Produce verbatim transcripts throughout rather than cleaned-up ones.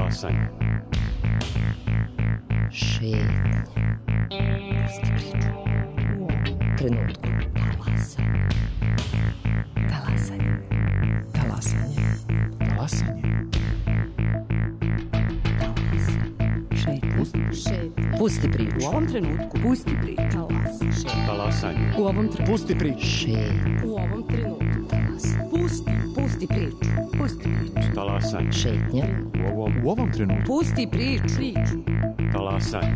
Talasanje. Šetnja. Pusti priču. U ovom trenutku. Talasanje. Talasanje. Talasanje. Talasanje. Šetnja. Šetnja. Pusti priču. U ovom trenutku. Pusti priču. Talasanje. Talasanje. U ovom trenutku. Pusti priču. Šetnja. U ovom trenutku. Talasanje. Pusti. Pusti priču. Pusti priču. Talasanje. Šetnja. U ovom, U ovom trenutku. Pusti priču. Priču. talasanje.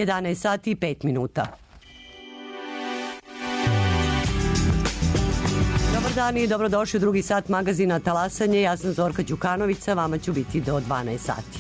jedanaest sati i pet minuta. Dobar dan i dobrodošli u drugi sat magazina Talasanje. Ja sam Zorka Đukanovića, vama ću biti do dvanaest sati.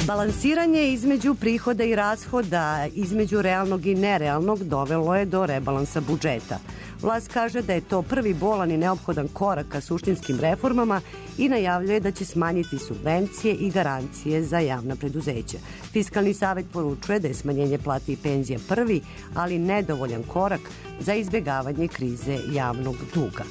Balansiranje između prihoda i rashoda, između realnog i nerealnog, dovelo je do rebalansa budžeta. Vlast kaže da je to prvi bolan i neophodan korak ka suštinskim reformama i najavljuje da će smanjiti subvencije i garancije za javna preduzeća. Fiskalni savet poručuje da je smanjenje plata i penzija prvi, ali nedovoljan korak za izbjegavanje krize javnog duga.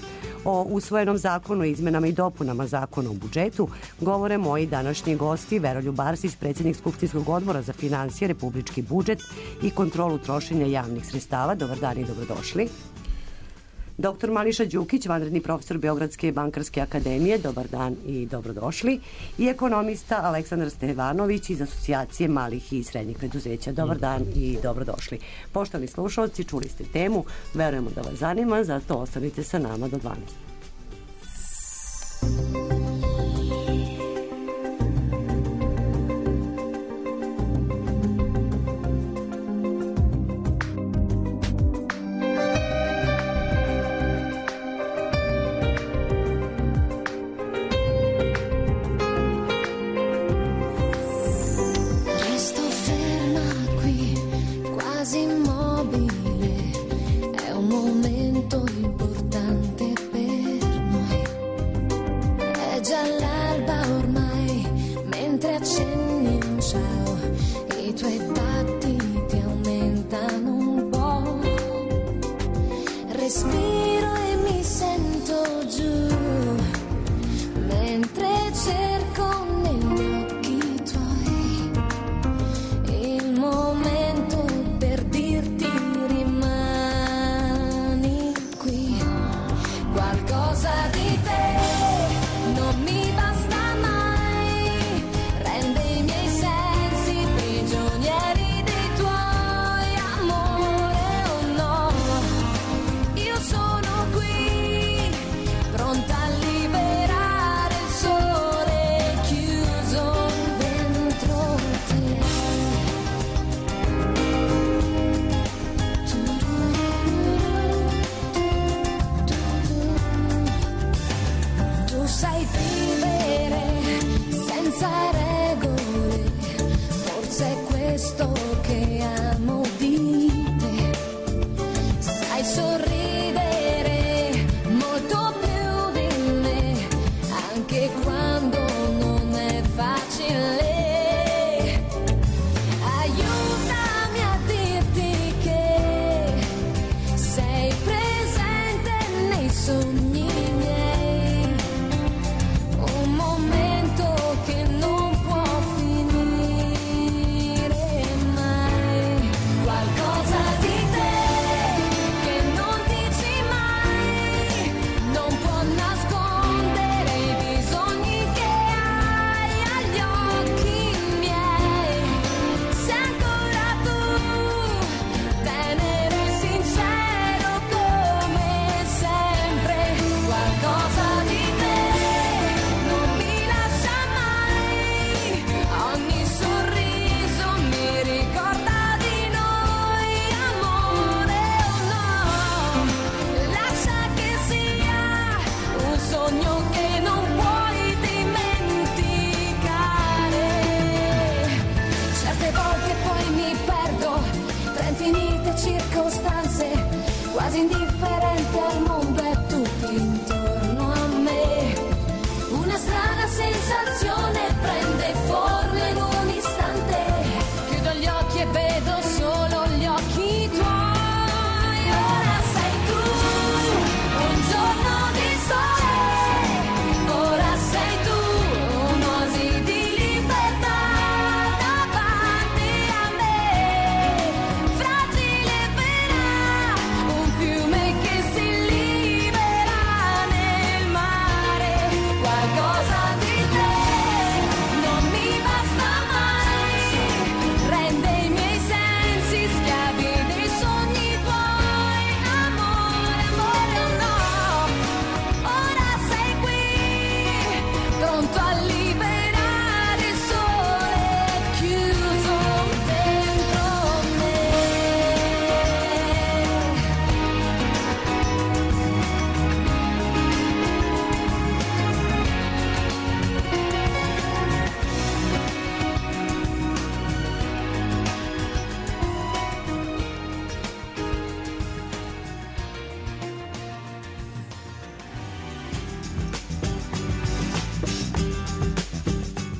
O usvojenom zakonu o izmenama i dopunama zakona o budžetu govore moji današnji gosti Veroljub Arsić, predsjednik Skupštinskog odbora za finansije, republički budžet i kontrolu trošenja javnih sredstava. Dobar dan i dobrodošli. Doktor Mališa Đukić, vanredni profesor Beogradske bankarske akademije, dobar dan i dobrodošli. I ekonomista Aleksandar Stevanović iz Asocijacije malih i srednjih preduzeća, dobar dan i dobrodošli. Poštovani slušalci, čuli ste temu, verujemo da vas zanima, zato ostanite sa nama do dvanaest. Qualcosa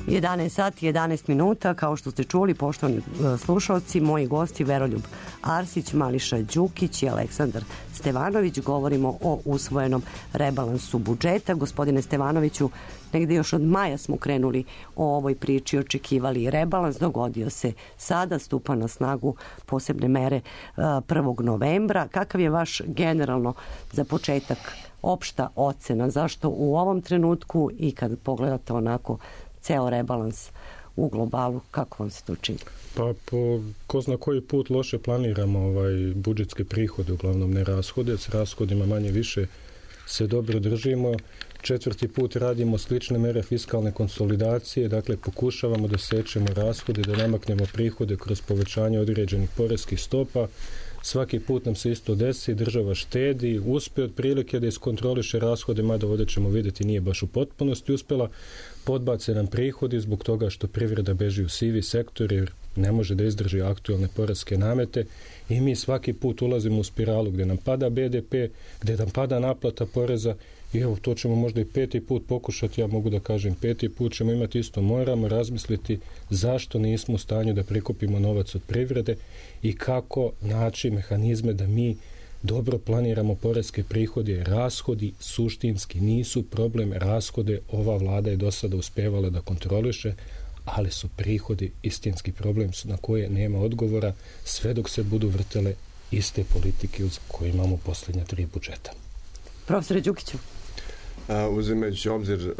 jedanaest sati, jedanaest minuta, kao što ste čuli, poštovani slušalci, moji gosti Veroljub Arsić, Mališa Đukić i Aleksandar Stevanović. Govorimo o usvojenom rebalansu budžeta. Gospodine Stevanoviću, negde još od maja smo krenuli o ovoj priči, očekivali rebalans, dogodio se sada, stupa na snagu posebne mere prvog novembra. Kakav je vaš generalno za početak opšta ocena? Zašto u ovom trenutku i kad pogledate onako ceo rebalans u globalu, kako vam se to čini? Pa po ko zna koji put loše planiramo ovaj budžetske prihode, uglavnom ne rashode, s rashodima manje više se dobro držimo. Četvrti put radimo slične mere fiskalne konsolidacije, dakle pokušavamo da sečemo rashode, da namaknemo prihode kroz povećanje određenih poreskih stopa. Svaki put nam se isto desi, država štedi, uspe otprilike da iskontroliše rashode, mada ovdje ćemo vidjeti nije baš u potpunosti uspela, podbace nam prihodi zbog toga što privreda beži u sivi sektor jer ne može da izdrži aktualne poreske namete i mi svaki put ulazimo u spiralu gdje nam pada be de pe, gdje nam pada naplata poreza i evo to ćemo možda i peti put pokušati, ja mogu da kažem peti put ćemo imati isto, moramo razmisliti zašto nismo u stanju da prikupimo novac od privrede i kako naći mehanizme da mi dobro planiramo poreske prihode. Rashodi suštinski nisu problem, rashode ova vlada je do sada uspevala da kontroliše, ali su prihodi istinski problem na koje nema odgovora sve dok se budu vrtele iste politike uz koje imamo posljednja tri budžeta. Profesore Đukiću. Uzimajući obzir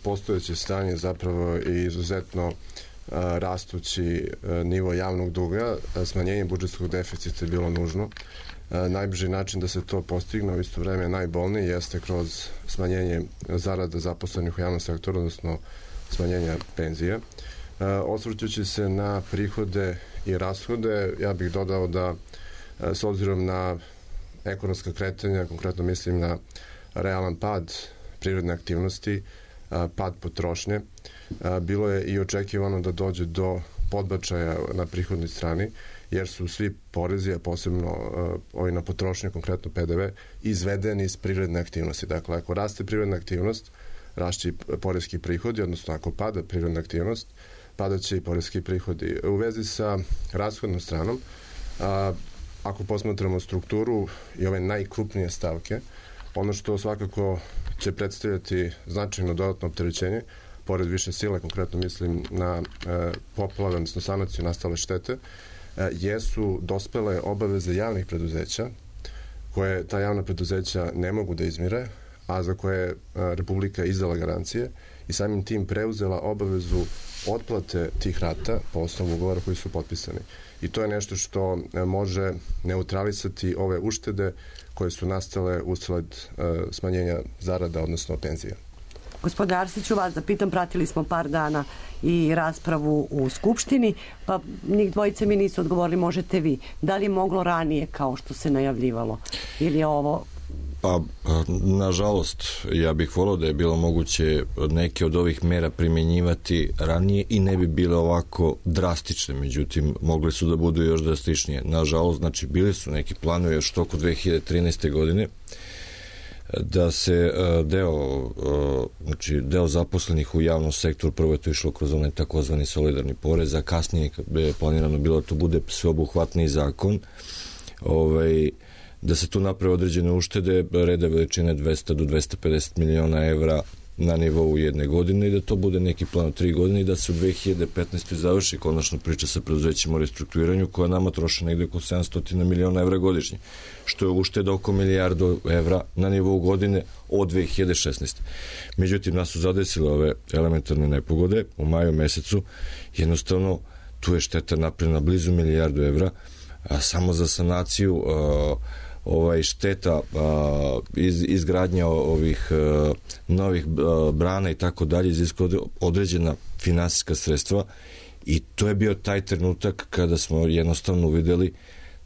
postojeće stanje zapravo i izuzetno rastući nivo javnog duga, smanjenje budžetskog deficita je bilo nužno. Najbrži način da se to postigne u isto vreme najbolniji jeste kroz smanjenje zarada zaposlenih u javnom sektoru, odnosno smanjenja penzije. Osvrćući se na prihode i rashode, ja bih dodao da s obzirom na ekonomska kretanja, konkretno mislim na realan pad privredne aktivnosti, pad potrošnje, bilo je i očekivano da dođe do podbačaja na prihodnoj strani, jer su svi porezi, a posebno ovi na potrošnje, konkretno pe de ve, izvedeni iz privredne aktivnosti. Dakle, ako raste privredna aktivnost, rašće poreski prihodi, odnosno ako pada privredna aktivnost, padaće i poreski prihodi. U vezi sa rashodnom stranom, a, ako posmatramo strukturu i ove najkrupnije stavke, ono što svakako će predstavljati značajno dodatno opterećenje, pored više sile, konkretno mislim na e, poplave, odnosno sanaciju nastale štete, e, jesu dospele obaveze javnih preduzeća, koje ta javna preduzeća ne mogu da izmire, a za koje je Republika izdala garancije i samim tim preuzela obavezu otplate tih rata po osnovu ugovora koji su potpisani. I to je nešto što može neutralisati ove uštede koje su nastale usled uh, smanjenja zarada, odnosno penzija. Gospodine Arsiću, vas da pitam, pratili smo par dana i raspravu u Skupštini, pa njih dvojice mi nisu odgovorili, možete vi. Da li je moglo ranije kao što se najavljivalo? Ili je ovo... Pa, nažalost, ja bih volio da je bilo moguće neke od ovih mera primjenjivati ranije i ne bi bile ovako drastične, međutim, mogli su da budu još drastičnije. Nažalost, znači, bili su neki planovi još toko dve hiljade trinaeste. godine da se deo, znači, deo zaposlenih u javnom sektoru, prvo je to išlo kroz onaj takozvani solidarni porez, a kasnije je planirano bilo da to bude sveobuhvatni zakon, ovaj, da se tu naprave određene uštede reda veličine dvesta do dvesta pedeset miliona evra na nivou jedne godine i da to bude neki plan od tri godine i da se u dve hiljade petnaestoj. završi konačno priča sa preduzećima o restrukturiranju koja nama troše negde oko sedamsto miliona evra godišnje, što je ušteda oko milijardu evra na nivou godine od dve hiljade šesnaeste. Međutim, nas su zadesile ove elementarne nepogode u maju mesecu, jednostavno tu je šteta napravljena blizu milijardu evra, a samo za sanaciju a, ovaj šteta a, iz, izgradnja ovih a, novih a, brana i tako dalje iziskuje određena finansijska sredstva i to je bio taj trenutak kada smo jednostavno uvideli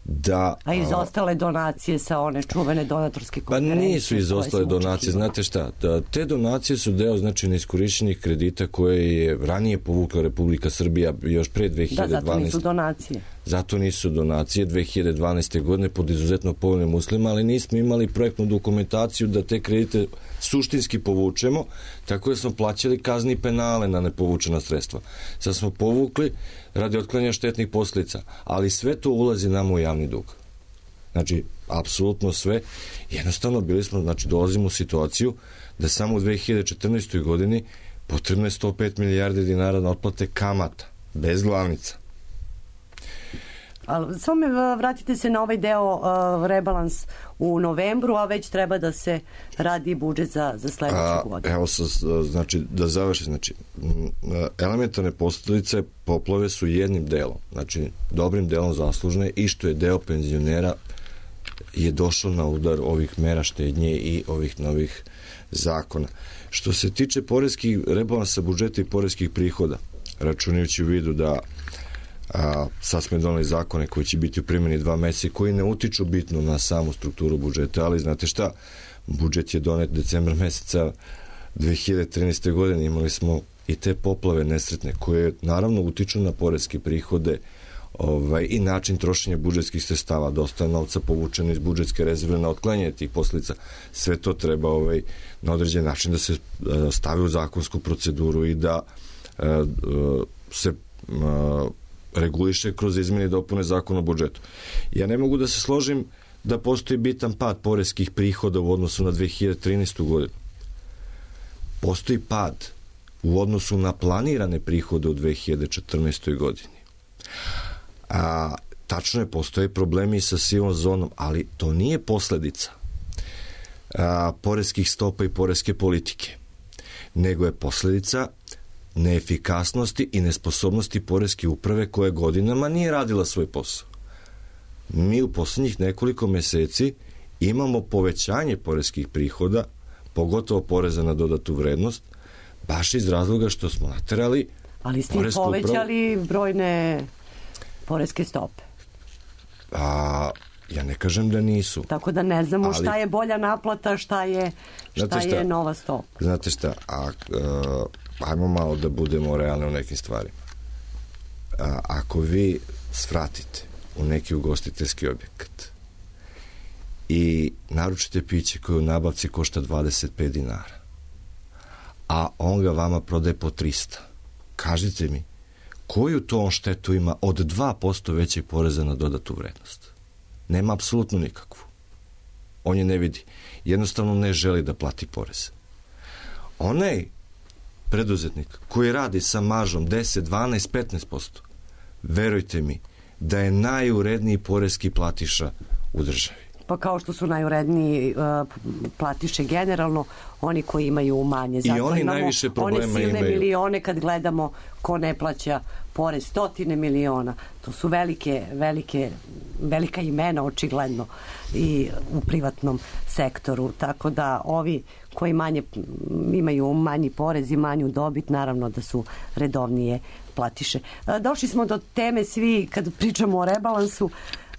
da... A izostale donacije sa one čuvene donatorske konferencije? Pa nisu izostale donacije, znate šta, da, te donacije su deo znači neiskorišćenih kredita koje je ranije povukla Republika Srbija još pre dve hiljade dvanaeste. Da, zato nisu donacije. zato nisu donacije dve hiljade dvanaeste. godine pod izuzetno povoljnim uslovima, ali nismo imali projektnu dokumentaciju da te kredite suštinski povučemo, tako da smo plaćali kazni i penale na nepovučena sredstva. Sad smo povukli radi otklanjanja štetnih posljedica, ali sve to ulazi nam u javni dug. Znači, apsolutno sve. Jednostavno bili smo, znači dolazimo u situaciju da samo u dve hiljade četrnaestoj. godini potrebno je sto pet milijardi dinara na otplate kamata, bez glavnica. Ali samo me vratite se na ovaj deo uh, rebalans u novembru, a već treba da se radi budžet za, za sledeću godinu. Evo, sa, znači, da završi, znači, elementarne posljedice poplave su jednim delom, znači, dobrim delom zaslužne i što je deo penzionera je došao na udar ovih mera štednje i ovih novih zakona. Što se tiče poreskih rebalansa budžeta i poreskih prihoda, računajući u vidu da a, sad smo doneli zakone koji će biti u primjeni dva meseca koji ne utiču bitno na samu strukturu budžeta, ali znate šta, budžet je donet decembra meseca dve hiljade trinaeste. godine, imali smo i te poplave nesretne koje naravno utiču na poreske prihode ovaj, i način trošenja budžetskih sredstava, dosta novca povučeno iz budžetske rezerve na otklanjanje tih posljedica. Sve to treba ovaj, na određen način da se a, stavi u zakonsku proceduru i da a, a, se a, reguliše kroz izmjene i dopune zakona o budžetu. Ja ne mogu da se složim da postoji bitan pad poreskih prihoda u odnosu na dve hiljade trinaestu. godinu. Postoji pad u odnosu na planirane prihode u dve hiljade četrnaestoj. godini. A, tačno je, postoje problemi i sa sivom zonom, ali to nije posledica a, poreskih stopa i poreske politike, nego je posledica neefikasnosti i nesposobnosti poreske uprave koja godinama nije radila svoj posao. Mi u posljednjih nekoliko meseci imamo povećanje poreskih prihoda, pogotovo poreza na dodatu vrednost, baš iz razloga što smo naterali. Ali ste povećali upravu brojne poreske stope. A, ja ne kažem da nisu. Tako da ne znamo ali, šta je bolja naplata, šta je, šta šta, je nova stopa. Znate šta, a, a, ajmo malo da budemo realni u nekim stvarima. A, ako vi svratite u neki ugostiteljski objekat i naručite piće koje u nabavci košta dvadeset pet dinara, a on ga vama prodaje po trista, kažite mi, koju to on štetu ima od dva posto većeg poreza na dodatu vrednost? Nema apsolutno nikakvu. On je ne vidi. Jednostavno ne želi da plati porez. Onaj preduzetnik koji radi sa maržom deset, dvanaest, petnaest posto, verujte mi da je najuredniji poreski platiša u državi. Pa kao što su najuredniji uh, platiše generalno, oni koji imaju manje. Zato i oni najviše problema imaju. One silne milione kad gledamo ko ne plaća porez, stotine miliona. To su velike, velike, velika imena očigledno i u privatnom sektoru. Tako da ovi koji manje imaju manji porez i manju dobit, naravno da su redovnije platiše. Došli smo do teme svi kad pričamo o rebalansu,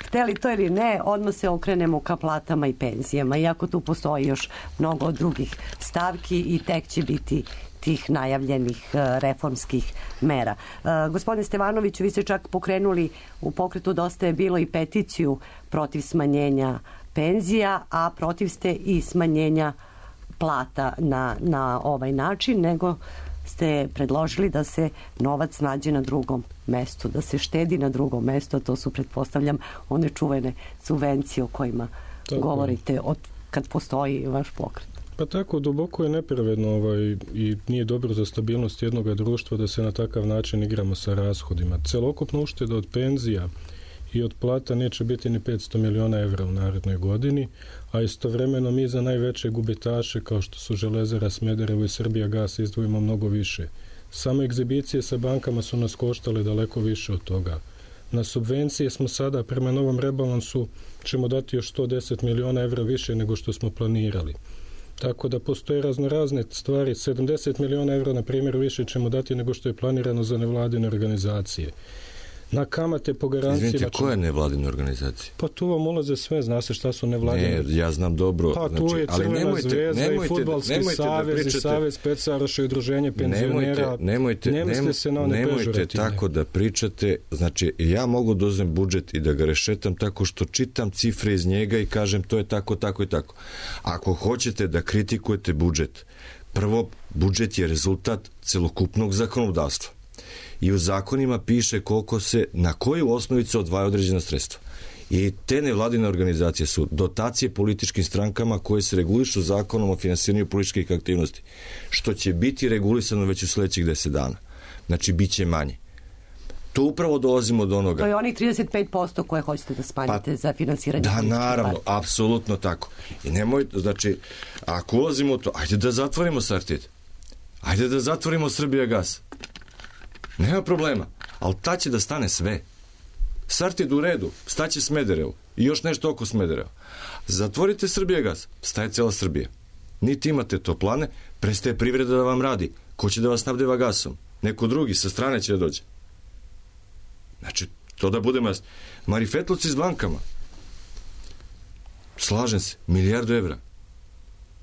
hteli to ili ne, odmah se okrenemo ka platama i penzijama, iako tu postoji još mnogo drugih stavki i tek će biti tih najavljenih reformskih mera. Gospodine Stevanoviću, vi ste čak pokrenuli u pokretu Dosta je bilo i peticiju protiv smanjenja penzija, a protiv ste i smanjenja plata na, na ovaj način, nego ste predložili da se novac nađe na drugom mestu, da se štedi na drugom mestu, a to su, pretpostavljam, one čuvene subvencije o kojima tako govorite od kad postoji vaš pokret. Pa tako, duboko je nepravedno ovaj, i nije dobro za stabilnost jednog društva da se na takav način igramo sa rashodima. Celokupna ušteda od penzija i od plata neće biti ni petsto miliona evra u narednoj godini, a istovremeno mi za najveće gubitaše kao što su Železara, Smederevo i Srbija gas izdvojimo mnogo više. Samo egzibicije sa bankama su nas koštale daleko više od toga. Na subvencije smo sada prema novom rebalansu ćemo dati još sto deset miliona evra više nego što smo planirali. Tako da postoje raznorazne stvari. sedamdeset miliona evra, na primjer, više ćemo dati nego što je planirano za nevladine organizacije. Na kamate po garanciji... Izvinite, koja je nevladina organizacija? Pa tu vam ulaze sve, zna se šta su nevladine. Ne, ja znam dobro. Pa tu znači, je ali Crvena nemojte, zvezda nemojte, i Fudbalski nemojte savez pričate, i Savez specaroša i udruženje penzionera. Nemojte, nemojte, ne misle se na one nemojte pežorativne. tako da pričate. Znači, ja mogu da uzmem budžet i da ga rešetam tako što čitam cifre iz njega i kažem to je tako, tako i tako. Ako hoćete da kritikujete budžet, prvo, budžet je rezultat celokupnog zakonodavstva. I u zakonima piše koliko se, na koju osnovicu odvaja određena sredstva. I te nevladine organizacije su dotacije političkim strankama koje se regulišu zakonom o finansiranju političkih aktivnosti, što će biti regulisano već u sledećih deset dana. Znači, bit će manje. To upravo dolazimo do onoga. To je onih trideset pet posto koje hoćete da smanjite pa, za finansiranje. Da, naravno, apsolutno tako. I nemojte, znači, ako ulazimo u to, ajde da zatvorimo Sartid. Ajde da zatvorimo Srbijagas. Nema problema, ali ta će da stane sve. Sartid u redu, staće Smederevo i još nešto oko Smedereva. Zatvorite Srbijagas, staje cela Srbija. Niti imate toplane, prestaje privreda da vam radi. Ko će da vas snabdeva gasom? Neko drugi, sa strane će da dođe. Znači, to da budemo jasni. Marifetluci s bankama. Slažem se, milijardu evra.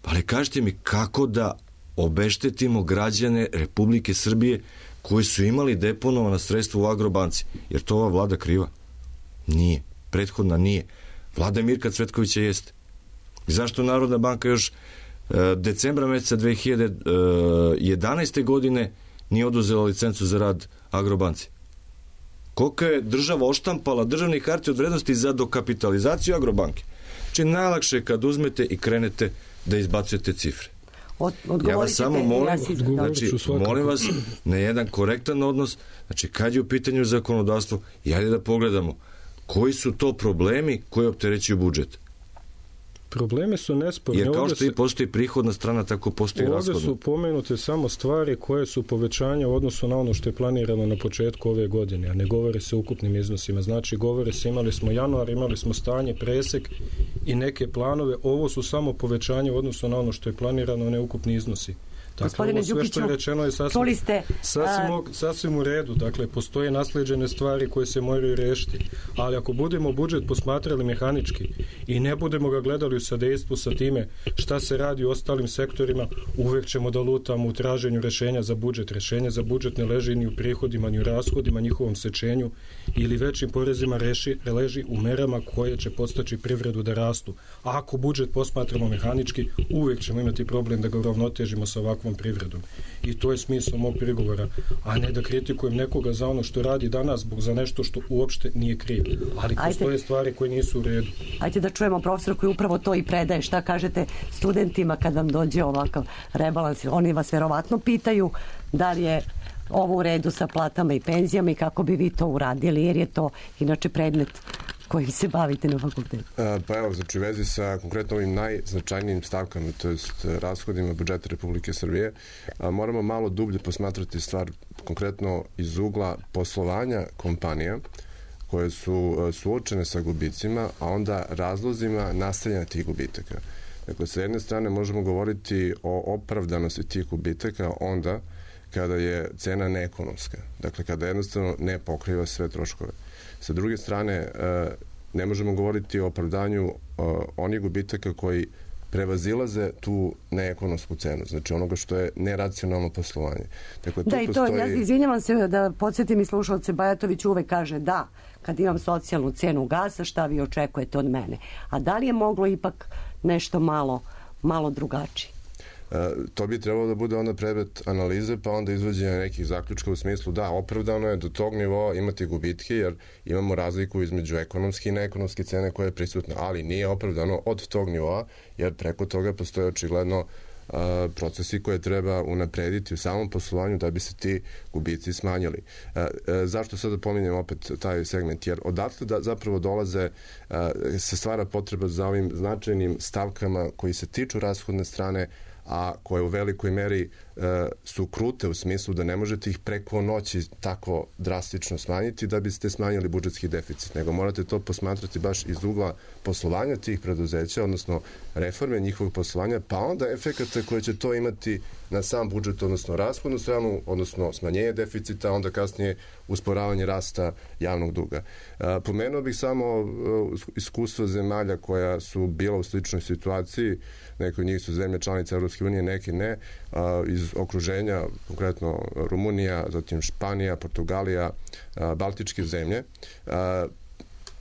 Ali kažete mi kako da obeštetimo građane Republike Srbije koji su imali deponovana sredstva u Agrobanci. Jer to ova vlada kriva? Nije. Prethodna nije. Vlada Mirka Cvetkovića jeste. I zašto Narodna banka još e, decembra meseca dve hiljade jedanaeste. godine nije oduzela licencu za rad Agrobanci? Koliko je država oštampala državnih hartija od vrednosti za dokapitalizaciju Agrobanke? Znači, najlakše je kad uzmete i krenete da izbacujete cifre. Od, ja vas samo molim, ja si, znači, molim vas na jedan korektan odnos, znači kad je u pitanju zakonodavstvo, i ajde da pogledamo koji su to problemi koji opterećuju budžet. Problemi su nesporni. Jer kao što se, i postoji prihodna strana, tako postoji rashodna. Ovdje su pomenute samo stvari koje su povećanja u odnosu na ono što je planirano na početku ove godine, a ne govore se o ukupnim iznosima. Znači, govore se, imali smo januar, imali smo stanje, presek i neke planove. Ovo su samo povećanje u odnosu na ono što je planirano, a ne ukupni iznosi. Dakle, ovo sve što je rečeno je sasvim, ste, sasvim, a... sasvim u redu. Dakle, postoje nasleđene stvari koje se moraju rešiti. Ali ako budemo budžet posmatrali mehanički i ne budemo ga gledali u sadejstvu sa time šta se radi u ostalim sektorima, uvek ćemo da lutamo u traženju rešenja za budžet. Rešenje za budžet ne leži ni u prihodima, ni u rashodima, njihovom sečenju ili većim porezima reši, leži u merama koje će podstaći privredu da rastu. A ako budžet posmatramo mehanički, uvek ćemo imati problem da ga uravnotežimo sa ovakvom privredom. I to je smisao mog prigovora, a ne da kritikujem nekoga za ono što radi danas, zbog za nešto što uopšte nije kriv. Ali postoje Ajde. stvari koje nisu u redu. Ajde da čujemo profesor koji upravo to i predaje. Šta kažete studentima kad vam dođe ovakav rebalans? Oni vas verovatno pitaju da li je ovo u redu sa platama i penzijama i kako bi vi to uradili, jer je to inače predmet kojim se bavite na fakultetu. Pa evo, znači u vezi sa konkretno ovim najznačajnijim stavkama, to jest rashodima budžeta Republike Srbije, moramo malo dublje posmatrati stvar konkretno iz ugla poslovanja kompanija koje su suočene sa gubicima, a onda razlozima nastajanja tih gubitaka. Dakle, sa jedne strane možemo govoriti o opravdanosti tih gubitaka onda kada je cena neekonomska. Dakle, kada jednostavno ne pokriva sve troškove. Sa druge strane, ne možemo govoriti o opravdanju onih gubitaka koji prevazilaze tu neekonomsku cenu, znači onoga što je neracionalno poslovanje. Dakle, da, i to, postoji... ja izvinjavam se da podsjetim i slušalce, Bajatović uvek kaže da, kad imam socijalnu cenu gasa, šta vi očekujete od mene? A da li je moglo ipak nešto malo, malo drugačije? To bi trebalo da bude onda predmet analize, pa onda izvođenja nekih zaključka u smislu da, opravdano je do tog nivoa imati gubitke, jer imamo razliku između ekonomske i neekonomske cene koja je prisutna, ali nije opravdano od tog nivoa, jer preko toga postoje očigledno a, procesi koje treba unaprediti u samom poslovanju da bi se ti gubici smanjili. A, a, zašto sada pominjem opet taj segment? Jer odatle da zapravo dolaze, a, se stvara potreba za ovim značajnim stavkama koji se tiču rashodne strane, a koje u velikoj meri e, su krute u smislu da ne možete ih preko noći tako drastično smanjiti da biste smanjili budžetski deficit, nego morate to posmatrati baš iz ugla poslovanja tih preduzeća, odnosno reforme njihovog poslovanja, pa onda efekata koje će to imati na sam budžet, odnosno rashodnu stranu, odnosno smanjenje deficita, onda kasnije usporavanje rasta javnog duga. E, pomenuo bih samo e, iskustvo zemalja koja su bila u sličnoj situaciji. Neke od njih su zemlje članice Evropske unije, neke ne, a, iz okruženja, konkretno Rumunija, zatim Španija, Portugalija, a, Baltičke zemlje. A,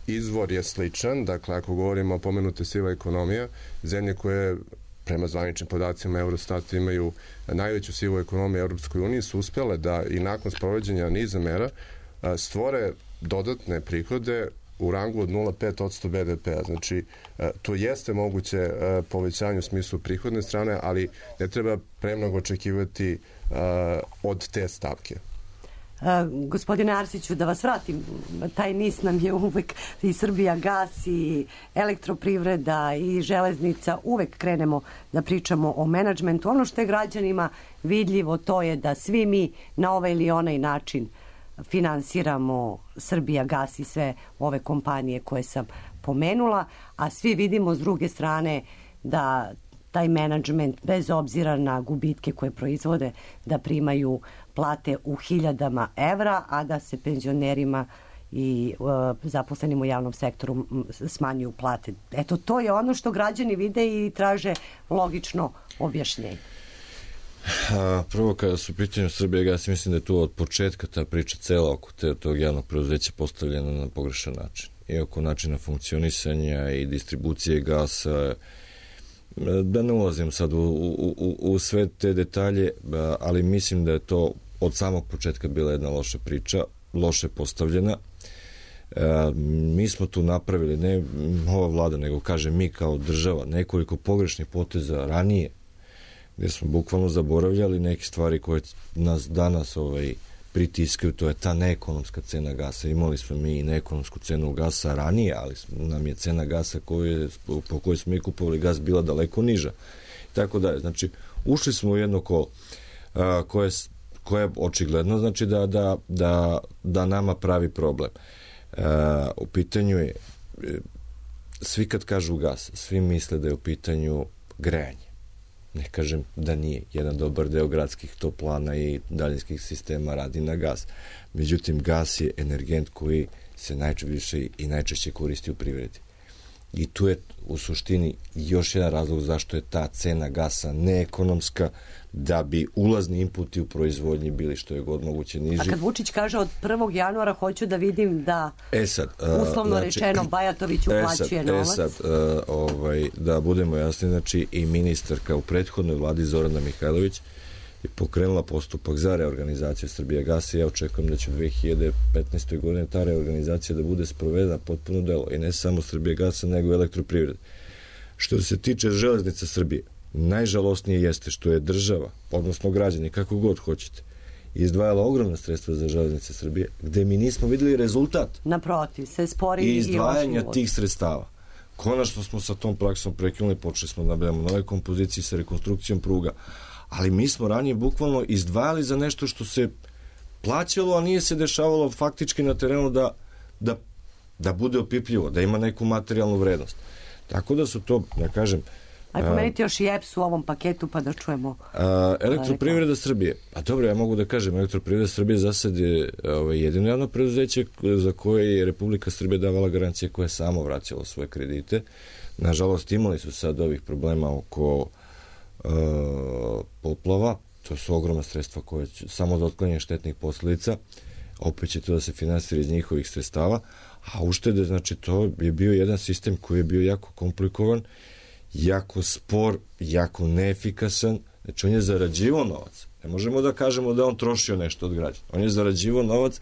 izvor je sličan, dakle, ako govorimo o pomenute siva ekonomija, zemlje koje prema zvaničnim podacima Eurostata imaju najveću sivu ekonomiju Evropskoj uniji su uspjele da i nakon sprovođenja niza mera a, stvore dodatne prihode u rangu od nula zarez pet posto be de pea. Znači, to jeste moguće povećanje u smislu prihodne strane, ali ne treba premnogo očekivati od te stavke. Uh, gospodine Arsiću, da vas vratim, taj nis nam je uvek i Srbija gas i elektroprivreda i železnica, uvek krenemo da pričamo o menadžmentu. Ono što je građanima vidljivo, to je da svi mi na ovaj ili onaj način finansiramo Srbija gas i sve ove kompanije koje sam pomenula, a svi vidimo s druge strane da taj menadžment, bez obzira na gubitke koje proizvode, da primaju plate u hiljadama evra, a da se penzionerima i uh, zaposlenim u javnom sektoru smanjuju plate. Eto, to je ono što građani vide i traže logično objašnjenje. A, prvo, kada su u pitanju Srbije gas, mislim da je tu od početka ta priča cela oko te, tog javnog preduzeća postavljena na pogrešan način. I oko načina funkcionisanja i distribucije gasa, da ne ulazim sad u, u, u, u sve te detalje, ali mislim da je to od samog početka bila jedna loša priča, loše postavljena. E, mi smo tu napravili, ne ova vlada, nego kažem mi kao država, nekoliko pogrešnih poteza ranije, gde smo bukvalno zaboravljali neke stvari koje nas danas ovaj, pritiskaju, to je ta neekonomska cena gasa. Imali smo mi i neekonomsku cenu gasa ranije, ali nam je cena gasa koje, po kojoj smo mi kupovali gas bila daleko niža. I tako da, znači, ušli smo u jedno kolo a, koje, koje je očigledno znači da, da, da, da nama pravi problem. A, u pitanju je, svi kad kažu gas, svi misle da je u pitanju grejanje. Ne kažem da nije. Jedan dobar deo gradskih toplana i daljinskih sistema radi na gas. Međutim, gas je energent koji se najčešće i najčešće koristi u privredi. I tu je u suštini još jedan razlog zašto je ta cena gasa neekonomska, da bi ulazni inputi u proizvodnji bili što je god moguće niži. A kad Vučić kaže od prvog januara hoću da vidim da e sad, uslovno znači, rečeno Bajatović uplaćuje e sad, novac. E sad, uh, ovaj, da budemo jasni, znači i ministarka u prethodnoj vladi Zorana Mihajlović je pokrenula postupak za reorganizaciju Srbija gasa i ja očekujem da će u dve hiljade petnaestoj godine ta reorganizacija da bude sprovedena potpuno delo i ne samo Srbija gasa nego i elektroprivrede. Što se tiče železnica Srbije, najžalosnije jeste što je država, odnosno građani, kako god hoćete, izdvajala ogromna sredstva za železnice Srbije, gde mi nismo videli rezultat. Naprotiv, se spori i izdvajanja tih sredstava. Konačno smo sa tom praksom prekinuli, počeli smo da nabavljamo nove kompozicije sa rekonstrukcijom pruga, ali mi smo ranije bukvalno izdvajali za nešto što se plaćalo, a nije se dešavalo faktički na terenu da, da, da bude opipljivo, da ima neku materijalnu vrednost. Tako da su to, da kažem, Aj pomenite još i E P S u ovom paketu pa da čujemo. A, elektroprivreda Srbije. A dobro, ja mogu da kažem, elektroprivreda Srbije za sad je ovaj, jedino javno preduzeće za koje je Republika Srbije davala garancije koje je samo vraćalo svoje kredite. Nažalost, imali su sad ovih problema oko uh, poplava. To su ogromna sredstva koje će, samo za otklanjanje štetnih posledica. Opet će to da se finansira iz njihovih sredstava. A uštede, znači, to je bio jedan sistem koji je bio jako komplikovan, jako spor, jako neefikasan. Znači, on je zarađivao novac. Ne možemo da kažemo da on trošio nešto od građana. On je zarađivao novac,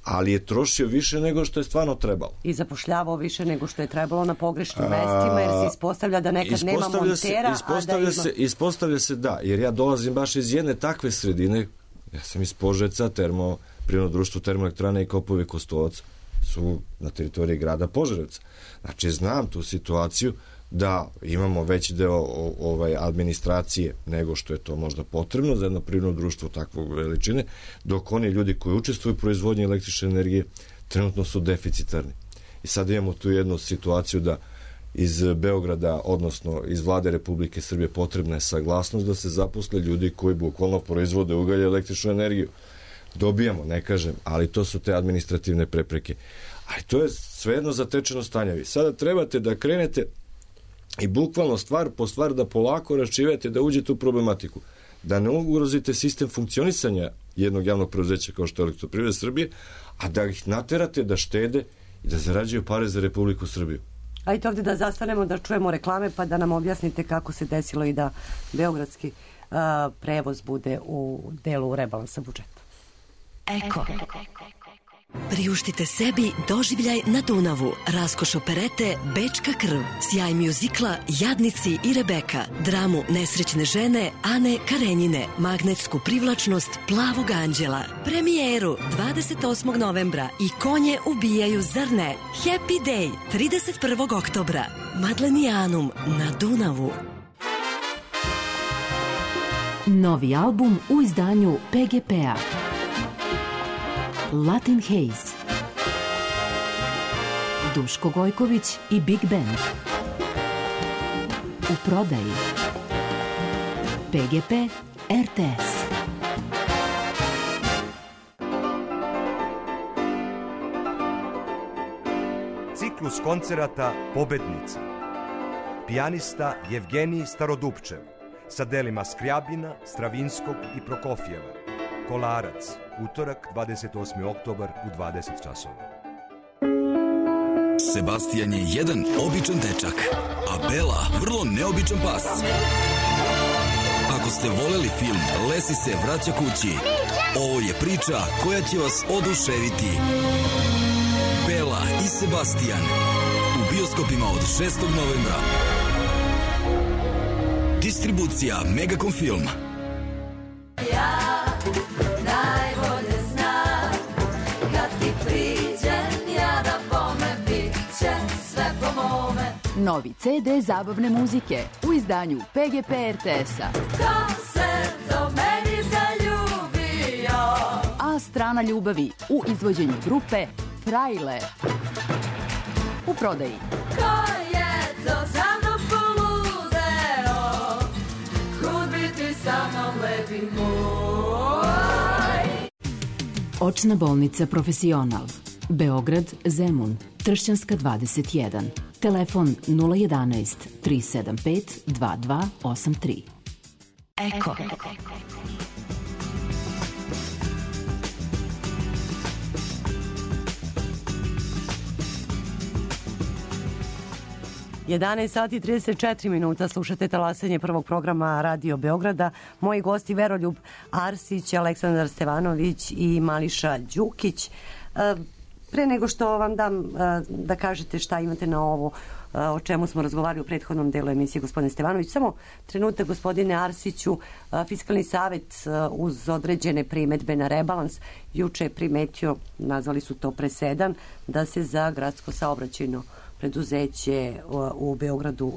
ali je trošio više nego što je stvarno trebalo. I zapošljavao više nego što je trebalo na pogrešnim mestima, jer se ispostavlja da nekad nema montera. Se, ispostavlja, a da ima... se, ispostavlja se da, jer ja dolazim baš iz jedne takve sredine, ja sam iz Požarevca, termo, prirodno društvo termoelektrane i Kopovi Kostolac su na teritoriji grada Požarevca. Znači, znam tu situaciju da imamo veći deo ovaj, administracije nego što je to možda potrebno za jedno privredno društvo takvog veličine, dok oni ljudi koji učestvuju u proizvodnji električne energije trenutno su deficitarni. I sad imamo tu jednu situaciju da iz Beograda, odnosno iz vlade Republike Srbije potrebna je saglasnost da se zaposle ljudi koji bukvalno proizvode ugalj i električnu energiju. Dobijamo, ne kažem, ali to su te administrativne prepreke. Ali to je svejedno zatečeno stanje. Vi sada trebate da krenete i bukvalno stvar po stvar da polako raščivate, da uđete u problematiku. Da ne ugrozite sistem funkcionisanja jednog javnog preduzeća kao što je Elektroprivreda Srbije, a da ih naterate da štede i da zarađuju pare za Republiku Srbiju. Ajde ovdje da zastanemo, da čujemo reklame, pa da nam objasnite kako se desilo i da beogradski uh, prevoz bude u delu rebalansa budžeta. Eko. Priuštite sebi doživljaj na Dunavu, raskoš operete Bečka krv, sjaj mjuzikla Jadnici i Rebeka, dramu nesrećne žene Ane Karenjine, magnetsku privlačnost Plavog anđela, premijeru dvadeset osmog novembra i Konje ubijaju, zar ne? Happy Day trideset prvog oktobra, Madlenijanum na Dunavu. Novi album u izdanju P G P-a. Latin Haze, Duško Gojković i Big Band. U prodaji P G P R T S. Ciklus koncerata Pobednica. Pijanista Jevgenij Starodupčev sa delima Skrjabina, Stravinskog i Prokofjeva. Kolarac, utorak, dvadeset osmi oktobar u dvadeset časova. Sebastian je jedan običan dečak, a Bela vrlo neobičan pas. Ako ste voleli film Lesi se vraća kući, ovo je priča koja će vas oduševiti. Bela i Sebastian u bioskopima od šestog novembra. Distribucija Megacom Film. Ja najbolje znam kad ti priđem ja da bome bit će sve po mome. Novi ce de zabavne muzike u izdanju P G P R T S-a. Ko se do meni zaljubio? A strana ljubavi u izvođenju grupe Frajle. U prodaji. Ko je to za mnom poludeo? Kud biti sa mnom lepi moj? Očna bolnica Profesional. Beograd, Zemun, Tršćanska dvadeset jedan. Telefon nula jedanaest tri sedam pet dva dva osam tri. Eko. jedanaest sati i trideset četiri minuta, slušate talasanje prvog programa Radio Beograda. Moji gosti Veroljub Arsić, Aleksandar Stevanović i Mališa Đukić. Pre nego što vam dam da kažete šta imate na ovo o čemu smo razgovarali u prethodnom delu emisije, gospodine Stevanović, samo trenutak, gospodine Arsiću. Fiskalni savet uz određene primetbe na rebalans juče je primetio, nazvali su to presedan, da se za gradsko saobraćajno preduzeće u Beogradu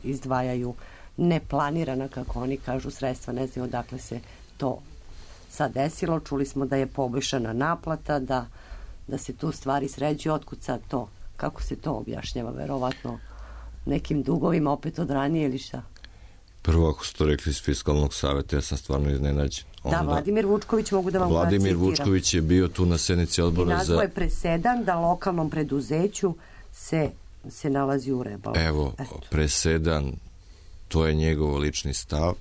izdvajaju neplanirana, kako oni kažu, sredstva. Ne znam odakle se to sad desilo. Čuli smo da je poboljšana naplata, da, da se tu stvari sređuju. Otkud sad to? Kako se to objašnjava? Verovatno nekim dugovima opet od ranije ili šta? Prvo, ako ste to rekli iz Fiskalnog saveta, ja sam stvarno iznenađen. Onda, da, Vladimir Vučković, mogu da vam Vladimir citiram. Vučković je bio tu na sednici odbora za... I nazvao je presedan da lokalnom preduzeću se, se nalazi u rebalansu. Evo, Eto. presedan, to je njegov lični stav.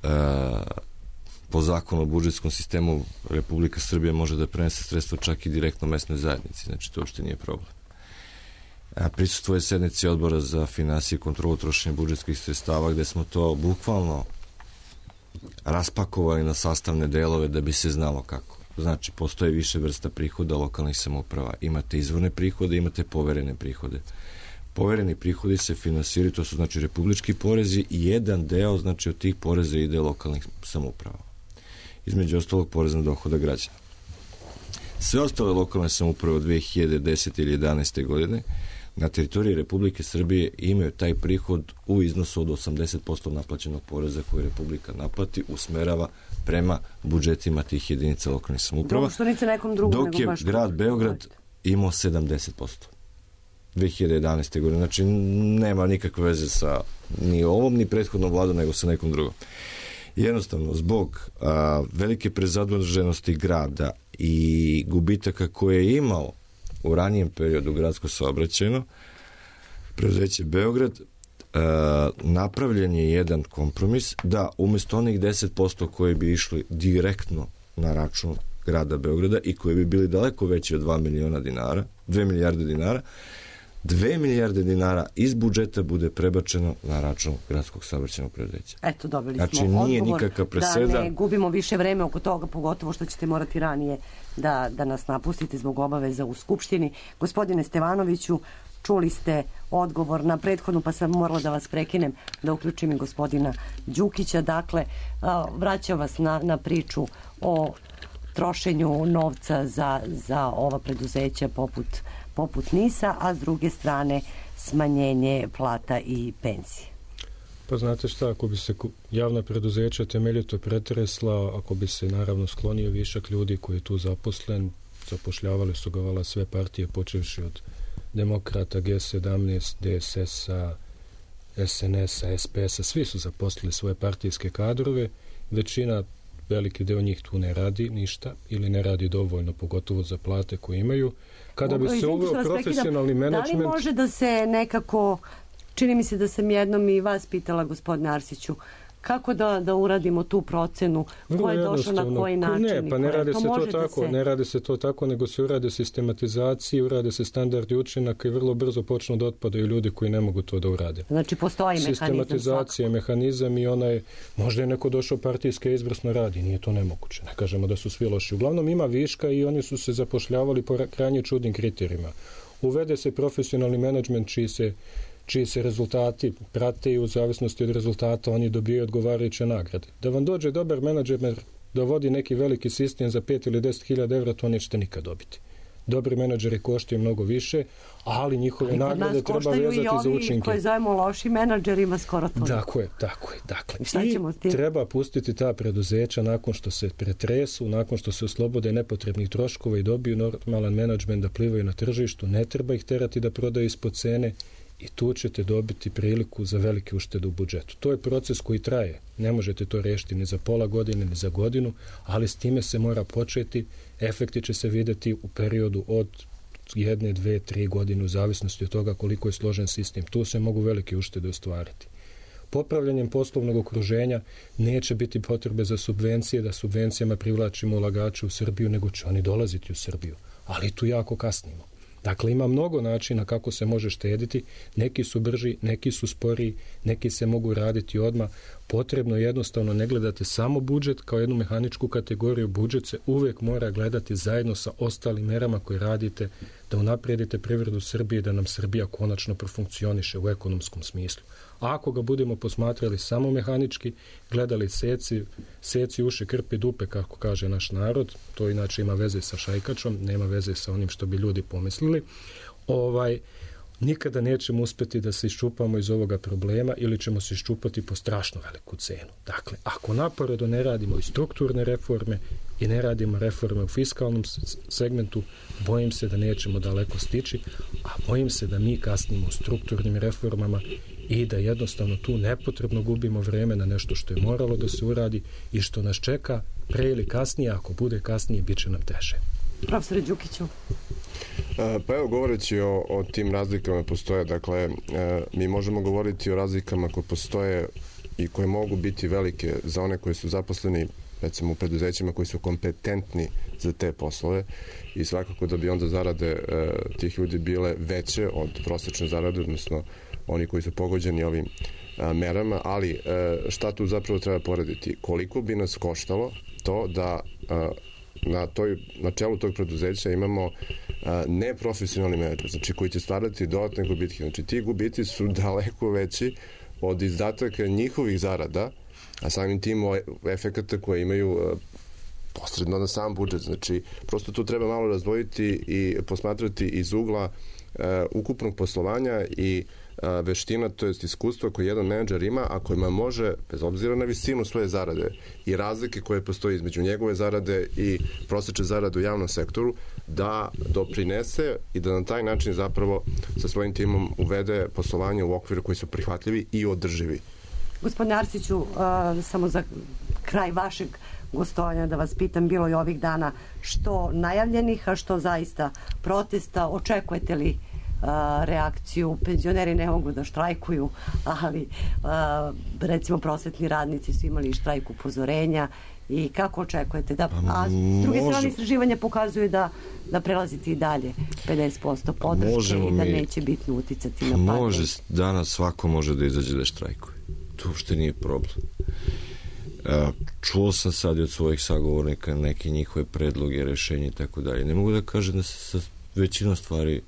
E, po zakonu o budžetskom sistemu Republika Srbija može da prenese sredstva čak i direktno mesnoj zajednici, znači to uopšte nije problem. A prisustvuje sednici odbora za finansije i kontrolu trošenja budžetskih sredstava, gde smo to bukvalno raspakovali na sastavne delove da bi se znalo kako. Znači, postoje više vrsta prihoda lokalnih samouprava. Imate izvorne prihode, imate poverene prihode. Povereni prihodi se finansiraju, to su znači republički porezi i jedan deo, znači od tih poreza ide lokalnih samouprava. Između ostalog porez na dohodak građana. Sve ostale lokalne samouprave od dve hiljade desete ili jedanaeste godine na teritoriji Republike Srbije imaju taj prihod u iznosu od osamdeset posto naplaćenog poreza koji Republika naplati, usmerava prema budžetima tih jedinica lokalnih samouprava, dok je grad Beograd imao sedamdeset posto dve hiljade jedanaeste. godine. Znači, nema nikakve veze sa ni ovom, ni prethodnom vladom, nego sa nekom drugom. Jednostavno, zbog a, velike prezaduženosti grada i gubitaka koje je imao u ranijem periodu gradsko saobraćajno, preduzeće Beograd, a, napravljen je jedan kompromis da umjesto onih deset posto koji bi išli direktno na račun grada Beograda i koji bi bili daleko veći od dva miliona dinara, dve milijarde dinara, dve milijarde dinara iz budžeta bude prebačeno na račun gradskog saobraćajnog preduzeća. Eto, dobili znači, smo odgovor nije nikakav preseda. Da ne gubimo više vreme oko toga, pogotovo što ćete morati ranije da, da nas napustite zbog obaveza u Skupštini. Gospodine Stevanoviću, čuli ste odgovor na prethodnu, pa sam morala da vas prekinem, da uključim i gospodina Đukića. Dakle, vraćam vas na, na priču o trošenju novca za, za ova preduzeća poput, poput NIS-a, a s druge strane smanjenje plata i penzije. Pa znate šta, ako bi se javna preduzeća temeljito pretresla, ako bi se naravno sklonio višak ljudi koji je tu zaposlen, zapošljavali su ga vala sve partije, počevši od Demokrata, G sedamnaest, D S S-a, S N S-a, S P S-a, svi su zaposlili svoje partijske kadrove, većina, veliki deo njih tu ne radi ništa ili ne radi dovoljno, pogotovo za plate koje imaju. Kada bi se uveo profesionalni menadžment... Da li može da se nekako, čini mi se da sam jednom i vas pitala, gospodine Arsiću, kako da, da uradimo tu procenu, ko je došao na koji način? Ne, pa ne radi se to tako, ne radi se to tako, nego se urade sistematizacije, urade se standardi učinaka i vrlo brzo počnu da otpadaju ljudi koji ne mogu to da urade. Znači, postoji mehanizam. Sistematizacija, mehanizam i onaj, možda je neko došao partijske izvrsno radi, nije to nemoguće. Ne kažemo da su svi loši. Uglavnom ima viška i oni su se zapošljavali po krajnje čudnim kriterijima. Uvede se profesionalni menadžment čiji se čiji se rezultati prate i u zavisnosti od rezultata oni dobijaju odgovarajuće nagrade. Da vam dođe dobar menadžer da vodi neki veliki sistem za pet ili deset hiljada evra, to nećete nikad dobiti. Dobri menadžeri koštaju mnogo više, ali njihove ali nagrade treba vezati za učinke. I ovi koji zovemo loši menadžerima skoro to. Tako je, tako je. Dakle, i, i treba pustiti ta preduzeća nakon što se pretresu, nakon što se oslobode nepotrebnih troškova i dobiju normalan menadžment da plivaju na tržištu, ne treba ih terati da prodaju ispod cene i tu ćete dobiti priliku za velike uštede u budžetu. To je proces koji traje. Ne možete to rešiti ni za pola godine, ni za godinu, ali s time se mora početi. Efekti će se vidjeti u periodu od jedne, dve, tri godine u zavisnosti od toga koliko je složen sistem. Tu se mogu velike uštede ostvariti. Popravljanjem poslovnog okruženja neće biti potrebe za subvencije, da subvencijama privlačimo ulagače u Srbiju, nego će oni dolaziti u Srbiju. Ali tu jako kasnimo. Dakle, ima mnogo načina kako se može štediti. Neki su brži, neki su sporiji, neki se mogu raditi odmah. Potrebno je jednostavno ne gledati samo budžet kao jednu mehaničku kategoriju. Budžet se uvijek mora gledati zajedno sa ostalim merama koje radite da unaprijedite privredu Srbije, da nam Srbija konačno profunkcioniše u ekonomskom smislu. A ako ga budemo posmatrali samo mehanički, gledali seci, seci uši, krpi, dupe, kako kaže naš narod, to inače ima veze sa šajkačom, nema veze sa onim što bi ljudi pomislili, ovaj, nikada nećemo uspjeti da se iščupamo iz ovoga problema ili ćemo se iščupati po strašno veliku cenu. Dakle, ako naporedo ne radimo i strukturne reforme i ne radimo reforme u fiskalnom segmentu, bojim se da nećemo daleko stići, a bojim se da mi kasnimo u strukturnim reformama i da jednostavno tu nepotrebno gubimo vreme na nešto što je moralo da se uradi i što nas čeka pre ili kasnije, ako bude kasnije, bit će nam teže. Profesore Đukiću. Pa evo, govoreći o, o tim razlikama postoje, dakle, mi možemo govoriti o razlikama koje postoje i koje mogu biti velike za one koji su zaposleni, recimo u preduzećima koji su kompetentni za te poslove i svakako da bi onda zarade e, tih ljudi bile veće od prosečne zarade, odnosno oni koji su pogođeni ovim a, merama, ali e, šta tu zapravo treba porediti? Koliko bi nas koštalo to da a, na, toj, na čelu tog preduzeća imamo a, neprofesionalni menadžer, znači koji će stvarati dodatne gubitke. Znači ti gubici su daleko veći od izdataka njihovih zarada, a samim tim efekata koje imaju a, posredno na sam budžet. Znači, prosto tu treba malo razdvojiti i posmatrati iz ugla e, ukupnog poslovanja i a, veština, to jest iskustvo koje jedan menadžer ima, a kojima može, bez obzira na visinu svoje zarade i razlike koje postoji između njegove zarade i prosečne zarade u javnom sektoru, da doprinese i da na taj način zapravo sa svojim timom uvede poslovanje u okviru koji su prihvatljivi i održivi. Gospodine Arsiću, uh, samo za kraj vašeg gostovanja da vas pitam, bilo je ovih dana što najavljenih, a što zaista protesta, očekujete li uh, reakciju? Penzioneri ne mogu da štrajkuju, ali uh, recimo prosvetni radnici su imali štrajk upozorenja. I kako očekujete da, a s druge strane istraživanje pokazuje da, da prelazite i dalje pedeset posto podrške i da mi, neće bitno uticati na pad. Može, danas svako može da izađe da štrajkuje. To uopšte nije problem. Čuo sam sad i od svojih sagovornika neke njihove predloge, rešenje i tako dalje. Ne mogu da kažem da se sa većinom stvari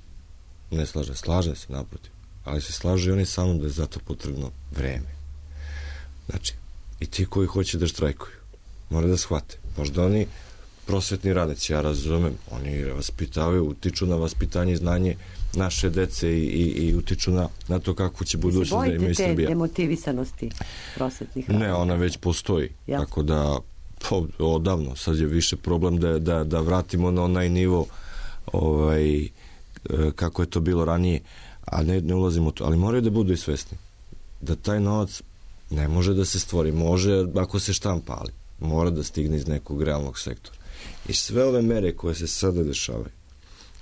ne slaže. Slaže se, naprotiv. Ali se slaže i oni sa mnom da je zato potrebno vreme. Znači, i ti koji hoće da štrajkuju mora da shvate. Možda oni prosvetni radnici, ja razumem, oni vaspitavaju, utiču na vaspitanje i znanje naše dece i, i, i utiču na, na to kako će budućnost da imaju Srbija. Se bojite te demotivisanosti prosvetnih radnika? Ne, ona već postoji. Ja. Tako da, po, odavno, sad je više problem da, da, da vratimo na onaj nivo ovaj, kako je to bilo ranije, a ne, ne ulazimo u to. Ali moraju da budu i svesni da taj novac ne može da se stvori. Može ako se štampa, ali mora da stigne iz nekog realnog sektora. I sve ove mere koje se sada dešavaju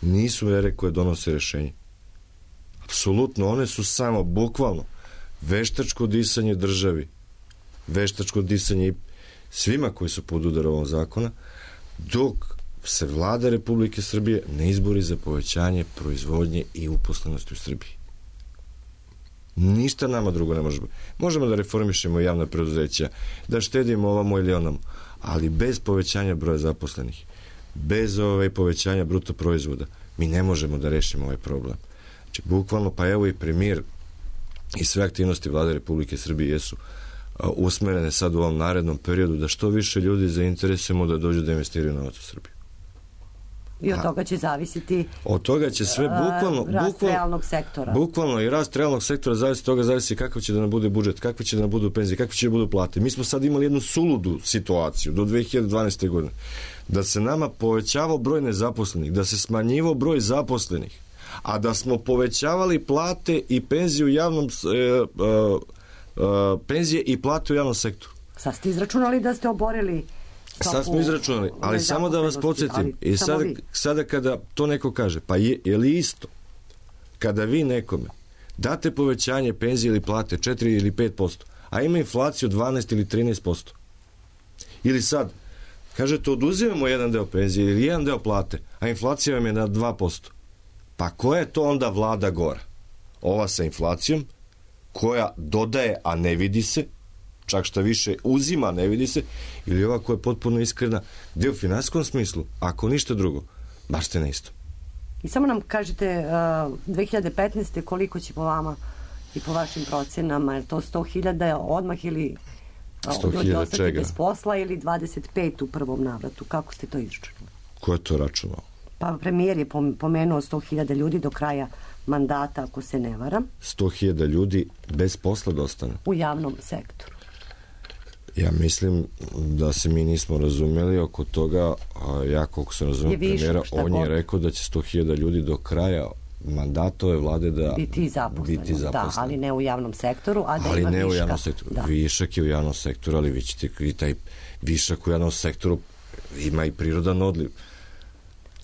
nisu mere koje donose rešenje. Apsolutno, one su samo, bukvalno, veštačko disanje državi, veštačko disanje i svima koji su pod udarom ovog zakona, dok se vlada Republike Srbije ne izbori za povećanje proizvodnje i uposlenosti u Srbiji. Ništa nama drugo ne može biti. Možemo da reformišemo javna preduzeća, da štedimo ovamo ili onamo, ali bez povećanja broja zaposlenih, bez ovaj povećanja bruto proizvoda, mi ne možemo da rešimo ovaj problem. Znači, bukvalno, pa evo i premijer i sve aktivnosti vlade Republike Srbije jesu usmerene sad u ovom narednom periodu da što više ljudi zainteresujemo da dođu da investiraju novac u Srbiju. I od toga će zavisiti od toga će sve bukvalno, rast bukvalno, realnog sektora. Bukvalno i rast realnog sektora zavisi od toga, zavisi kakav će da nam bude budžet, kakve će da nam budu penzije, kakve će da budu plate. Mi smo sad imali jednu suludu situaciju do dve hiljade dvanaeste. godine. Da se nama povećavao broj nezaposlenih, da se smanjivao broj zaposlenih, a da smo povećavali plate i penzije u javnom e, e, e, penzije i plate u javnom sektoru. Sad ste izračunali da ste oborili. Sad smo izračunali, ali samo da vas podsjetim, i sada, sada kada to neko kaže, pa je, je li isto kada vi nekome date povećanje penzije ili plate četiri ili pet posto, a ima inflaciju dvanaest ili trinaest posto, ili sad kažete oduzimamo jedan deo penzije ili jedan deo plate, a inflacija vam je na dva posto, pa koja je to onda vlada gora? Ova sa inflacijom koja dodaje, a ne vidi se, čak šta više uzima, ne vidi se, ili ova koja je potpuno iskrena, gde u finansijskom smislu, ako ništa drugo, baš ste na isto. I samo nam kažete, uh, dve hiljade petnaeste. koliko će po vama i po vašim procenama, je to sto hiljada odmah ili sto hiljada čega? Bez posla ili dvadeset pet u prvom navratu? Kako ste to izračunali? Ko je to računao? Pa premijer je pomenuo sto hiljada ljudi do kraja mandata, ako se ne varam. sto hiljada ljudi bez posla da ostane? U javnom sektoru. Ja mislim da se mi nismo razumeli oko toga, a ja koliko sam razumio premijera, on je rekao da će sto hiljada ljudi do kraja mandata ove vlade da biti zaposleno. Da, ali ne u javnom sektoru, a da ali ima ne viška. U javnom sektoru. Da. Višak je u javnom sektoru, ali vi ćete i taj višak u javnom sektoru ima i prirodan odliv.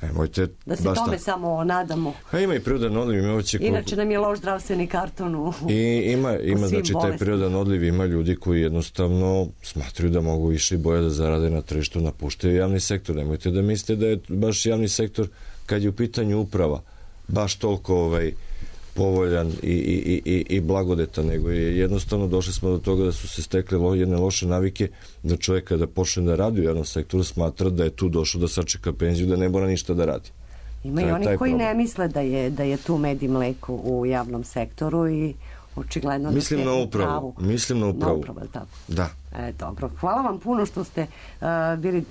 Nemojte, da se tome ta... samo nadamo. A ima i prirodan odliv. Ima će Inače koliko... nam je loš zdravstveni karton u, I ima, ima znači bolestima. Taj prirodan odliv, ima ljudi koji jednostavno smatruju da mogu više i bolje da zarade na tržištu, napuštaju javni sektor. Nemojte da mislite da je baš javni sektor, kad je u pitanju uprava, baš toliko ovaj, povoljan i, i, i, i blagodetan, nego je jednostavno došli smo do toga da su se stekle lo, jedne loše navike, da čovjek kada počne da radi u jednom sektoru smatra da je tu došao da sačeka penziju, da ne mora ništa da radi. Ima i oni koji problem. Ne misle da je, da je tu med i mleko u javnom sektoru i očigledno mislim da na upravu. Mislim na upravu. Na upravu, tako? Da. E, dobro. Hvala vam puno što ste uh, bili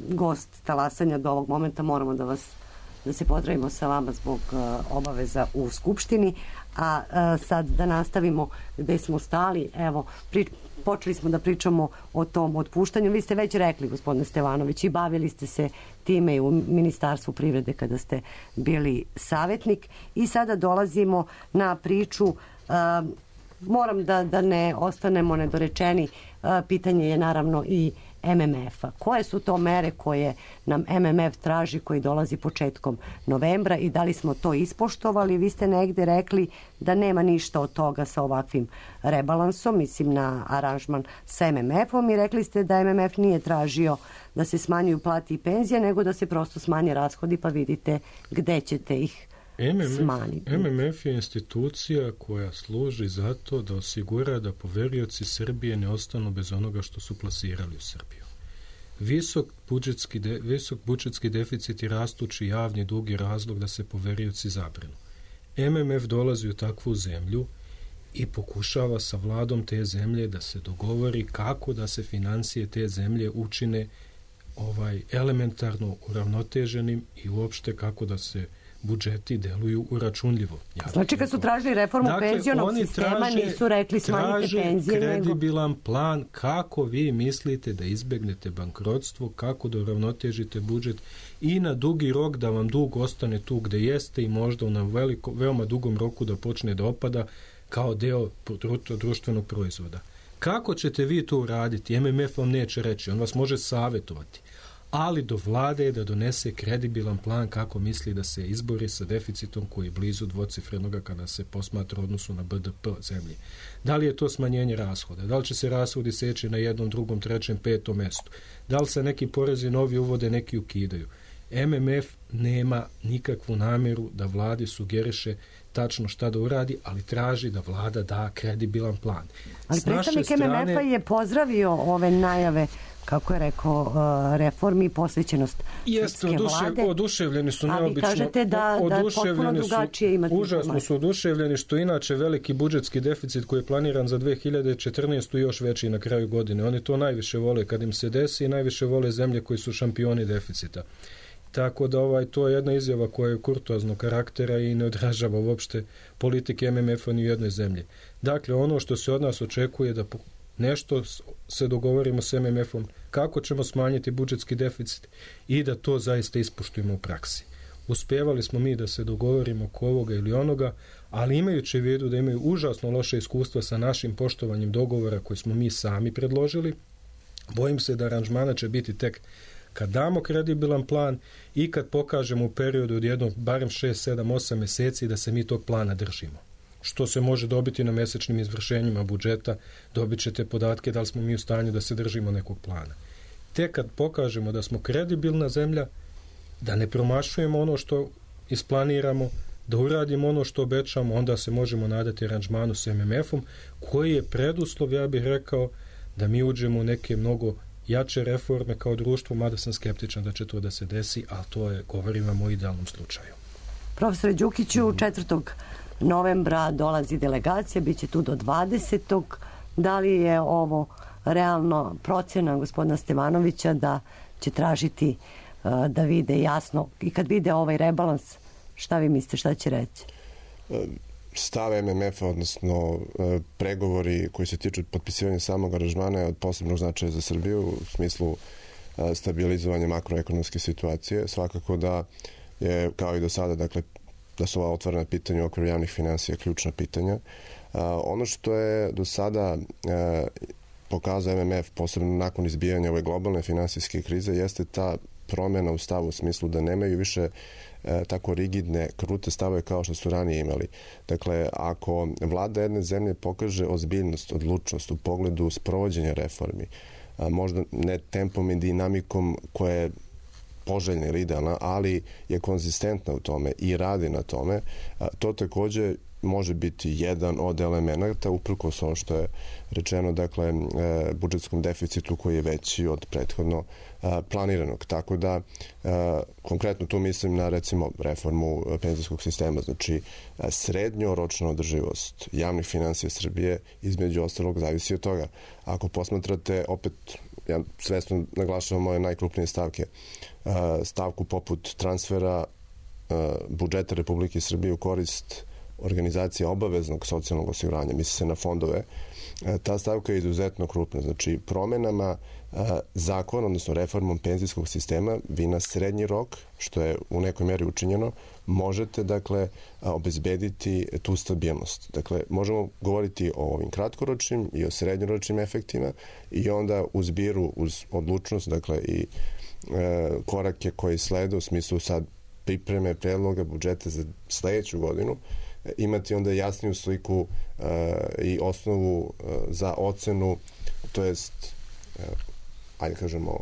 gost talasanja do ovog momenta. Moramo da vas da se pozdravimo sa vama zbog uh, obaveza u Skupštini, a uh, sad da nastavimo gde smo stali. Evo, pri, počeli smo da pričamo o tom otpuštanju. Vi ste već rekli, gospodine Stevanović, i bavili ste se time i u Ministarstvu privrede kada ste bili savjetnik. I sada dolazimo na priču, uh, moram da, da ne ostanemo nedorečeni, uh, pitanje je naravno i M M F-a. Koje su to mere koje nam M M F traži, koji dolazi početkom novembra i da li smo to ispoštovali? Vi ste negde rekli da nema ništa od toga sa ovakvim rebalansom, mislim na aranžman sa M M F-om, i rekli ste da M M F nije tražio da se smanjuju plati i penzije, nego da se prosto smanje rashodi, pa vidite gde ćete ih M M F, smanjiti. M M F je institucija koja služi za to da osigura da poverioci Srbije ne ostanu bez onoga što su plasirali u Srbiju. Visok budžetski, de, visok budžetski deficit i rastući javni dug je razlog da se poverioci zabrinu. M M F dolazi u takvu zemlju i pokušava sa vladom te zemlje da se dogovori kako da se financije te zemlje učine ovaj elementarno uravnoteženim i uopšte kako da se budžeti deluju uračunljivo. Ja znači kad su tražili reformu dakle, penzionog sistema, traže, nisu rekli smanjite penzije. Traže kredibilan nego... plan kako vi mislite da izbegnete bankrotstvo, kako da uravnotežite budžet i na dugi rok da vam dug ostane tu gde jeste i možda na veliko, veoma dugom roku da počne da opada kao deo društvenog proizvoda. Kako ćete vi to uraditi? M M F vam neće reći, on vas može savjetovati. Ali do vlade je da donese kredibilan plan kako misli da se izbori sa deficitom koji je blizu dvocifrenoga kada se posmatra odnosu na B D P zemlje. Da li je to smanjenje rashoda? Da li će se rashodi seći na jednom, drugom, trećem, petom mestu? Da li se neki porezi novi uvode, neki ukidaju? M M F nema nikakvu namjeru da vladi sugeriše tačno šta da uradi, ali traži da vlada da kredibilan plan. Ali predstavnik strane... M M F-a je pozdravio ove najave, kako je rekao, reformi i posvećenost Jeste, srpske odušev, vlade. Oduševljeni su neobično. A vi kažete da, da potpuno drugačije imate. Užasno su oduševljeni što inače veliki budžetski deficit koji je planiran za dve hiljade četrnaestu još veći na kraju godine. Oni to najviše vole kad im se desi i najviše vole zemlje koji su šampioni deficita. Tako da ovaj, to je jedna izjava koja je kurtoaznog karaktera i ne odražava uopšte politike M M F-a ni u jednoj zemlji. Dakle, ono što se od nas očekuje da nešto se dogovorimo s M M F-om, kako ćemo smanjiti budžetski deficit i da to zaista ispoštujemo u praksi. Uspevali smo mi da se dogovorimo oko ovoga ili onoga, ali imajući u vidu da imaju užasno loše iskustva sa našim poštovanjem dogovora koje smo mi sami predložili, bojim se da aranžmana će biti tek kad damo kredibilan plan i kad pokažemo u periodu od jednog, barem šest, sedam, osam meseci da se mi tog plana držimo. Što se može dobiti na mesečnim izvršenjima budžeta, dobit ćete podatke da li smo mi u stanju da se držimo nekog plana. Tek kad pokažemo da smo kredibilna zemlja, da ne promašujemo ono što isplaniramo, da uradimo ono što obećamo, onda se možemo nadati aranžmanu s M M F-om, koji je preduslov, ja bih rekao, da mi uđemo u neke mnogo jače reforme kao društvo, mada sam skeptičan da će to da se desi, ali to je, govorim vam o idealnom slučaju. Profesore Đukiću, četvrtog novembra dolazi delegacija, bit će tu do dvadesetog Da li je ovo realno procjena gospodina Stevanovića da će tražiti uh, da vide jasno i kad vide ovaj rebalans, šta vi mislite, šta će reći? Stav M M F-a, odnosno pregovori koji se tiču potpisivanja samog aranžmana je od posebnog značaja za Srbiju u smislu stabilizovanja makroekonomske situacije. Svakako da je, kao i do sada, dakle, da su ova otvorena pitanja u okviru javnih finansija ključna pitanja. Ono što je do sada pokazao M M F, posebno nakon izbijanja ove globalne finansijske krize, jeste ta promjena u stavu u smislu da nemaju više e, tako rigidne, krute stave kao što su ranije imali. Dakle, ako vlada jedne zemlje pokaže ozbiljnost, odlučnost u pogledu sprovođenja reformi, a, možda ne tempom i dinamikom koja je poželjna ili idealna, ali je konzistentna u tome i radi na tome, a, to takođe može biti jedan od elemenata, uprkos ono što je rečeno, dakle, e, budžetskom deficitu koji je veći od prethodno a, planiranog. Tako da, a, konkretno tu mislim na, recimo, reformu penzijskog sistema, znači a, srednjoročna održivost javnih finansija Srbije, između ostalog, zavisi od toga. Ako posmatrate, opet, ja svesno naglašavam moje najkrupnije stavke, a, stavku poput transfera budžeta Republike Srbije u korist organizacije obaveznog socijalnog osiguranja, misli se na fondove, ta stavka je izuzetno krupna. Znači, promenama zakona, odnosno reformom penzijskog sistema, vi na srednji rok, što je u nekoj meri učinjeno, možete, dakle, obezbediti tu stabilnost. Dakle, možemo govoriti o ovim kratkoročnim i o srednjoročnim efektima i onda uz biru, uz odlučnost, dakle, i e, korake koji slede u smislu sad pripreme predloga budžeta za sledeću godinu, imati onda jasniju sliku e, i osnovu e, za ocenu, to jest, e, ajde kažemo,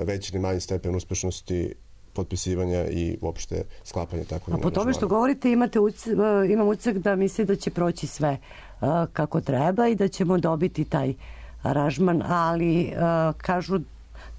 veći ili manji stepen uspešnosti potpisivanja i uopšte sklapanja takvog. A po tome što govorite, imate uc, imam utisak da misli da će proći sve uh, kako treba i da ćemo dobiti taj aranžman, ali uh, kažu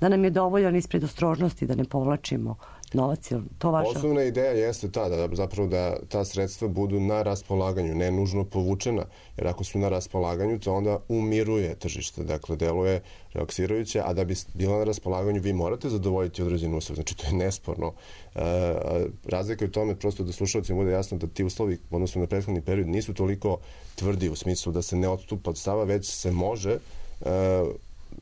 da nam je dovoljan ispred ostrožnosti, da ne povlačimo novac. To vaša... Osnovna ideja jeste ta, da zapravo da ta sredstva budu na raspolaganju, ne nužno povučena, jer ako su na raspolaganju, to onda umiruje tržište, dakle, deluje relaksirajuće, a da bi bila na raspolaganju, vi morate zadovoljiti određeni uslov, znači to je nesporno. E, razlika je u tome, prosto da slušalcima bude jasno da ti uslovi, odnosno na prethodni period, nisu toliko tvrdi u smislu da se ne odstupa od stava, već se može e,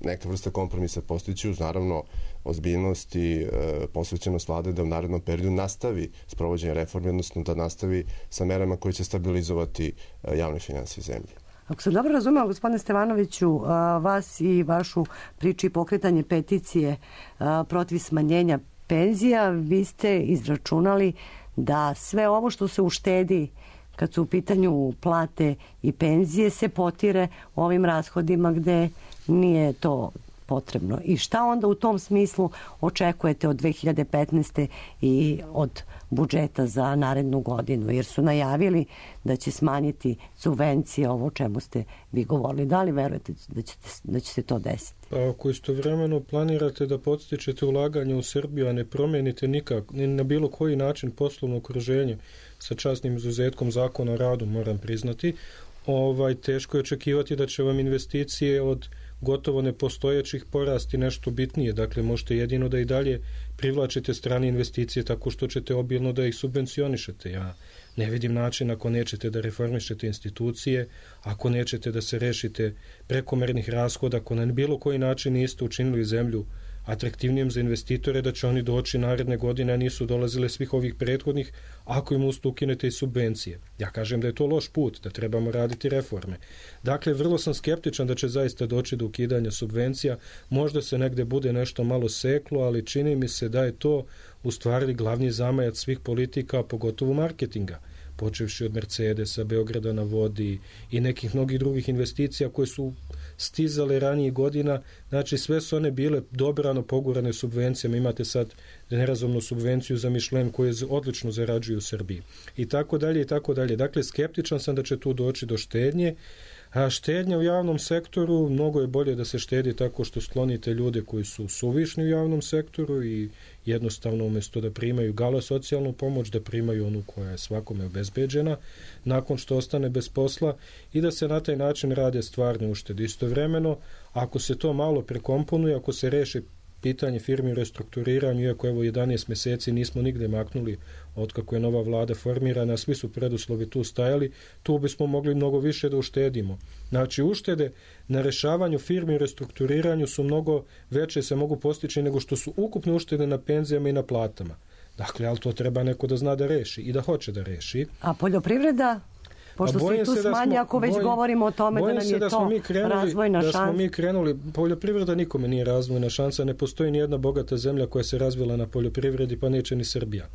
neka vrsta kompromisa postići uz, naravno, ozbiljnost i e, posvećenost vlade da u narednom periodu nastavi sprovođenje reformi, odnosno da nastavi sa merama koje će stabilizovati e, javne finansije zemlje. Ako sam dobro razumela, gospodine Stevanoviću, a, vas i vašu priču i pokretanje peticije a, protiv smanjenja penzija, vi ste izračunali da sve ovo što se uštedi kad su u pitanju plate i penzije se potire ovim rashodima gde nije to potrebno. I šta onda u tom smislu očekujete od dve hiljade petnaeste. i od budžeta za narednu godinu? Jer su najavili da će smanjiti subvencije, ovo o čemu ste vi govorili. Da li verujete da, ćete, da će se to desiti? Pa ako istovremeno planirate da podstičete ulaganje u Srbiju, a ne promenite nikak, ni na bilo koji način poslovno okruženje, sa časnim izuzetkom zakona o radu, moram priznati, ovaj, teško je očekivati da će vam investicije od gotovo nepostojećih porasti nešto bitnije. Dakle, možete jedino da i dalje privlačite strane investicije tako što ćete obilno da ih subvencionišete. Ja ne vidim način ako nećete da reformišete institucije, ako nećete da se rešite prekomernih rashoda, ako na bilo koji način niste učinili zemlju atraktivnijim za investitore, da će oni doći naredne godine, a nisu dolazile svih ovih prethodnih, ako im usto ukinete i subvencije. Ja kažem da je to loš put, da trebamo raditi reforme. Dakle, vrlo sam skeptičan da će zaista doći do ukidanja subvencija. Možda se negde bude nešto malo seklo, ali čini mi se da je to u stvari glavni zamajac svih politika, pogotovo marketinga, počevši od Mercedesa, Beograda na vodi i nekih mnogih drugih investicija koje su stizale ranijih godina. Znači, sve su one bile dobrano pogurane subvencijama. Imate sad nerazumnu subvenciju za Michelin koje odlično zarađuju u Srbiji. I tako dalje, i tako dalje. Dakle, skeptičan sam da će tu doći do štednje. A štednja u javnom sektoru, mnogo je bolje da se štedi tako što sklonite ljude koji su suvišni u javnom sektoru i jednostavno umjesto da primaju gala socijalnu pomoć, da primaju onu koja je svakome obezbeđena nakon što ostane bez posla i da se na taj način rade stvarne uštede. Istovremeno, ako se to malo prekomponuje, ako se reši pitanje firmi u restrukturiranju, iako evo jedanaest meseci nismo nigde maknuli od kako je nova vlada formirana, svi su preduslovi tu stajali, tu bismo mogli mnogo više da uštedimo. Znači, uštede na rešavanju firmi u restrukturiranju su mnogo veće, se mogu postići nego što su ukupne uštede na penzijama i na platama. Dakle, ali to treba neko da zna da reši i da hoće da reši. A poljoprivreda? Pošto se i tu smanje, ako već bojim, govorimo o tome da nam je da to krenuli, razvojna šansa. Da smo mi krenuli, poljoprivreda nikome nije razvojna šansa, ne postoji ni jedna bogata zemlja koja se razvila na poljoprivredi, pa neće ni Srbija.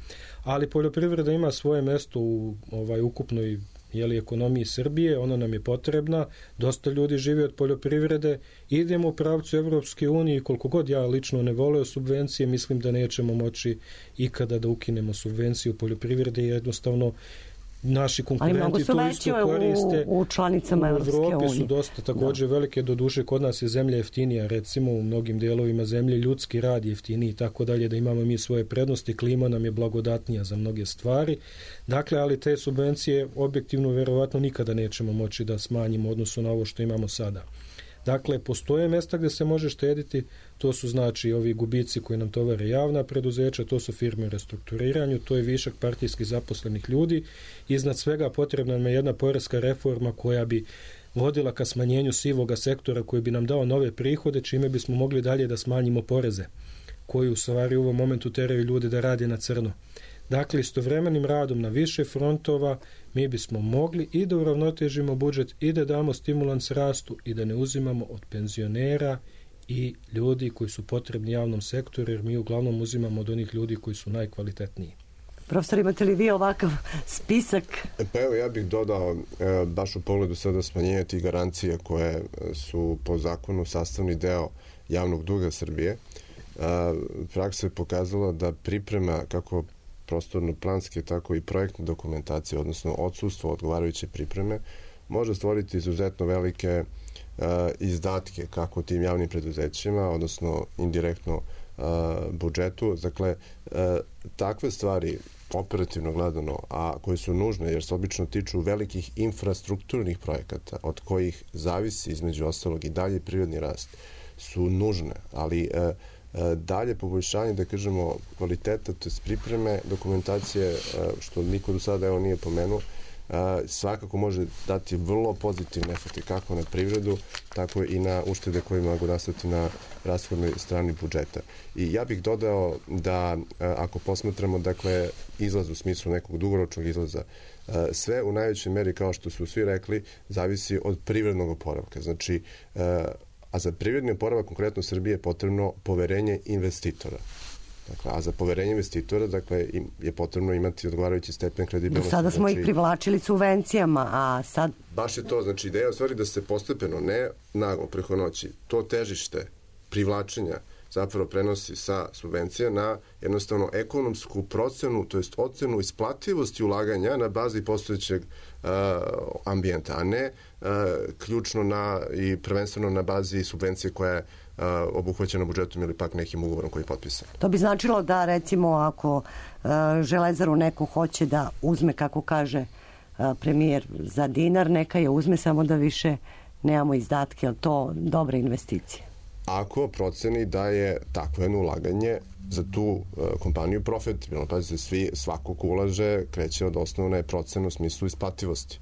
Ali poljoprivreda ima svoje mesto u ovaj ukupnoj jeli, ekonomiji Srbije, ona nam je potrebna, dosta ljudi živi od poljoprivrede, idemo u pravcu Evropske unije i koliko god ja lično ne voleo subvencije, mislim da nećemo moći ikada da ukinemo subvencije u poljoprivrede, jednostavno naši konkurenti to isto koriste. U, u članicama Evropske unije. U Evropi su dosta također da. velike, do duše kod nas je zemlja jeftinija, recimo u mnogim delovima zemlje ljudski rad jeftiniji i tako dalje, da imamo mi svoje prednosti, klima nam je blagodatnija za mnoge stvari. Dakle, ali te subvencije objektivno verovatno nikada nećemo moći da smanjimo odnosu na ovo što imamo sada. Dakle, postoje mjesta gdje se može štediti, to su znači ovi gubici koji nam tovare javna preduzeća, to su firme u restrukturiranju, to je višak partijskih zaposlenih ljudi. Iznad svega potrebna nam je jedna poreska reforma koja bi vodila ka smanjenju sivoga sektora koji bi nam dao nove prihode, čime bismo mogli dalje da smanjimo poreze koji u stvari u ovom momentu teraju ljude da rade na crno. Dakle, istovremenim radom na više frontova mi bismo mogli i da uravnotežimo budžet i da damo stimulans rastu i da ne uzimamo od penzionera i ljudi koji su potrebni javnom sektoru, jer mi uglavnom uzimamo od onih ljudi koji su najkvalitetniji. Profesor, imate li vi ovakav spisak? Pa evo, ja bih dodao e, baš u pogledu sada smanjenja tih garancije koje su po zakonu sastavni deo javnog duga Srbije. E, praksa je pokazala da priprema kako prostorno-planske, tako i projektne dokumentacije, odnosno odsustvo odgovarajuće pripreme, može stvoriti izuzetno velike e, izdatke kako tim javnim preduzećima, odnosno indirektno e, budžetu. Dakle, e, takve stvari operativno gledano, a koje su nužne jer se obično tiču velikih infrastrukturnih projekata od kojih zavisi između ostalog i dalje privredni rast, su nužne, ali e, dalje poboljšanje, da kažemo, kvaliteta, to je pripreme dokumentacije, što niko do sada evo nije pomenuo, svakako može dati vrlo pozitivne efekte kako na privredu, tako i na uštede koje mogu nastati na rashodnoj strani budžeta. I ja bih dodao da ako posmatramo, dakle, izlaz u smislu nekog dugoročnog izlaza, sve u najvećoj meri, kao što su svi rekli, zavisi od privrednog oporavka. Znači, a za privredni oporavak konkretno Srbije je potrebno poverenje investitora. Dakle, a za poverenje investitora, dakle, je potrebno imati odgovarajući stepen kredibilnosti. Do sada smo znači, ih privlačili subvencijama, a sad... Baš je to, znači ideja u stvari da se postepeno, ne naglo preko noći, to težište privlačenja zapravo prenosi sa subvencija na jednostavno ekonomsku procenu, to jest ocenu isplativosti ulaganja na bazi postojećeg uh, ambijenta, a ne uh, ključno na i prvenstveno na bazi subvencije koja je uh, obuhvaćena budžetom ili pak nekim ugovorom koji je potpisan. To bi značilo da, recimo, ako uh, Železaru neko hoće da uzme, kako kaže uh, premijer, za dinar, neka je uzme, samo da više nemamo izdatke, ali to dobre investicije. Ako proceni da je takvo jedno ulaganje za tu uh, kompaniju profitabilno. Pazite, svi, svako ko ulaže kreće od osnovne procene u smislu isplativosti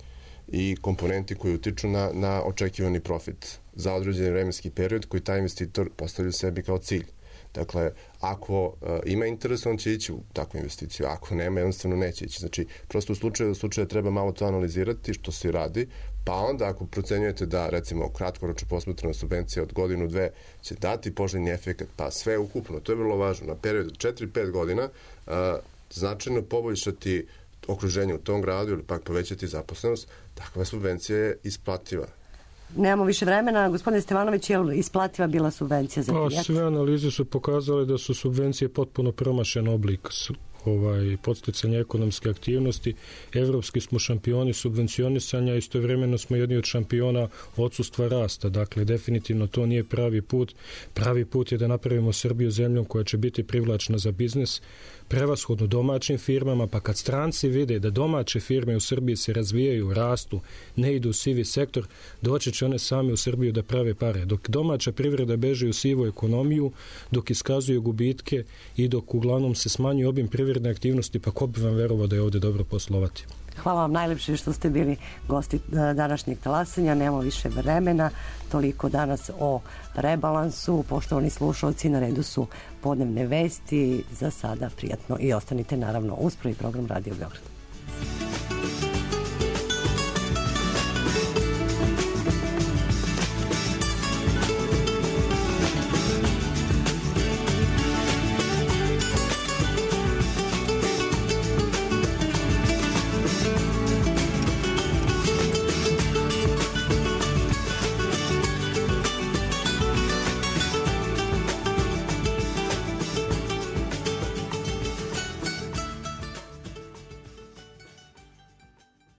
i komponenti koji utiču na, na očekivani profit za određeni vremenski period koji taj investitor postavlja sebi kao cilj. Dakle, ako uh, ima interes, on će ići u takvu investiciju. Ako nema, jednostavno neće ići. Znači, prosto u slučaju, u slučaju treba malo to analizirati što se radi, pa onda ako procenjujete da, recimo, kratkoročno posmatrana subvencija od godinu, dve će dati poželjni efekat, pa sve ukupno, to je vrlo važno, na period od četiri do pet godina uh, značajno poboljšati okruženje u tom gradu ili pak povećati zaposlenost, takva subvencija je isplativa. Nemamo više vremena. Gospodine Stevanović, je li isplativa bila subvencija za Kijat? Sve analize su pokazale da su subvencije potpuno promašen oblik ovaj, podsticanja ekonomske aktivnosti. Evropski smo šampioni subvencionisanja, istovremeno smo jedni od šampiona odsustva rasta. Dakle, definitivno to nije pravi put. Pravi put je da napravimo Srbiju zemljom koja će biti privlačna za biznis, prevashodno domaćim firmama, pa kad stranci vide da domaće firme u Srbiji se razvijaju, rastu, ne idu u sivi sektor, doći će one sami u Srbiju da prave pare. Dok domaća privreda beže u sivu ekonomiju, dok iskazuju gubitke i dok uglavnom se smanjuje obim privredne aktivnosti, pa ko bi vam verovao da je ovdje dobro poslovati? Hvala vam najlepše što ste bili gosti današnjeg talasanja. Nemamo više vremena. Toliko danas o rebalansu. Poštovani slušalci, na redu su podnevne vesti. Za sada prijatno i ostanite naravno uz prvi program Radio Beograd.